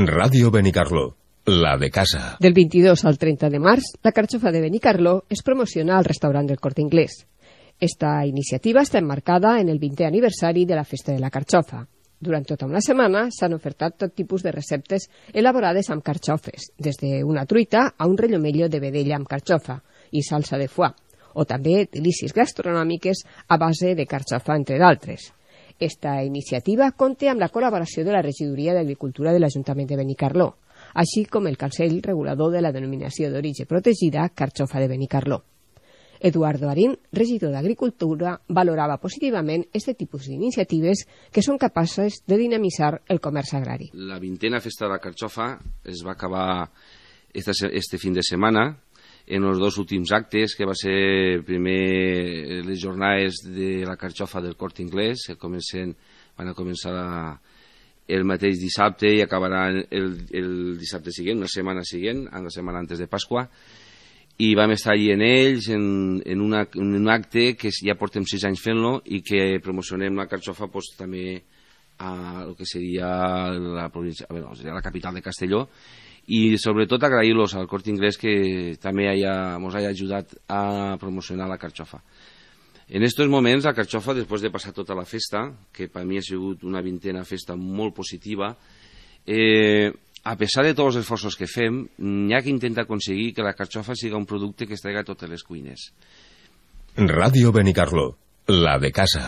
Ràdio Benicarló, la de casa. Del 22 al 30 de març, la carxofa de Benicarló es promociona al restaurant del Corte Inglés. Esta iniciativa està emmarcada en el 20è aniversari de la Festa de la Carxofa. Durant tota una setmana s'han ofertat tot tipus de receptes elaborades amb carxofes, des d'una truita a un rellomello de vedella amb carxofa i salsa de foie, o també delícies gastronòmiques a base de carxofa, entre d'altres. Esta iniciativa compta amb la col·laboració de la Regidoria d'Agricultura de l'Ajuntament de Benicarló, així com el Consell Regulador de la Denominació d'Origen Protegida Carxofa de Benicarló. Eduardo Arín, regidor d'Agricultura, valorava positivament aquest tipus d'iniciatives que són capaces de dinamitzar el comerç agrari. La 20a Festa de la Carxofa es va acabar este fin de setmana en els dos últims actes, que va ser primer les jornades de la carxofa del Corte Inglés, que van a començar el mateix dissabte i acabaran el dissabte següent, una setmana següent, la setmana antes de Pasqua, i vam estar allí en ells en un acte que ja portem 6 anys fent-lo i que promocionem la carxofa també a el que seria la província, la capital de Castelló, i sobretot agrair-los al Corte Inglés que també ens hagi ajudat a promocionar la carxofa. En aquests moments la carxofa, després de passar tota la festa, que per mi ha sigut una 20a festa molt positiva, a pesar de tots els esforços que fem, hi ha que intentar aconseguir que la carxofa sigui un producte que es traiga a totes les cuines. Ràdio Benicarló, la de casa.